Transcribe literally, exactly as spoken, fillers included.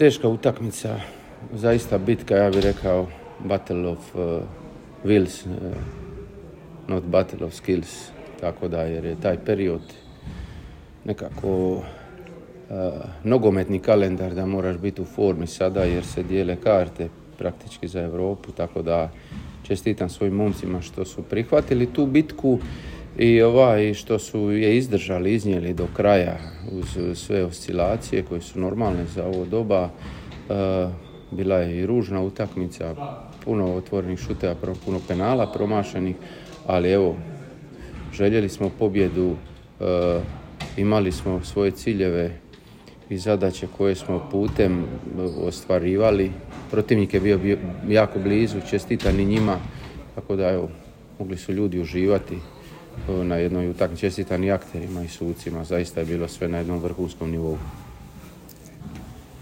teška utakmica, zaista bitka, ja bih rekao, battle of uh, wills, uh, not battle of skills, tako da, jer je taj period nekako uh, nogometni kalendar da moraš biti u formi sada, jer se dijele karte praktički za Europu, tako da čestitam svojim momcima što su prihvatili tu bitku i ovaj što su je izdržali, iznijeli do kraja uz sve oscilacije koje su normalne za ovo doba. Uh, bila je i ružna utakmica, puno otvorenih šuteva, puno penala promašenih, ali evo, željeli smo pobjedu, uh, imali smo svoje ciljeve i zadaće koje smo putem ostvarivali. Protivnik je bio, bio jako blizu, čestitan i njima, tako da evo, mogli su ljudi uživati na jednoj utakmici, čestitan i akterima i sucima, zaista je bilo sve na jednom vrhunskom nivou.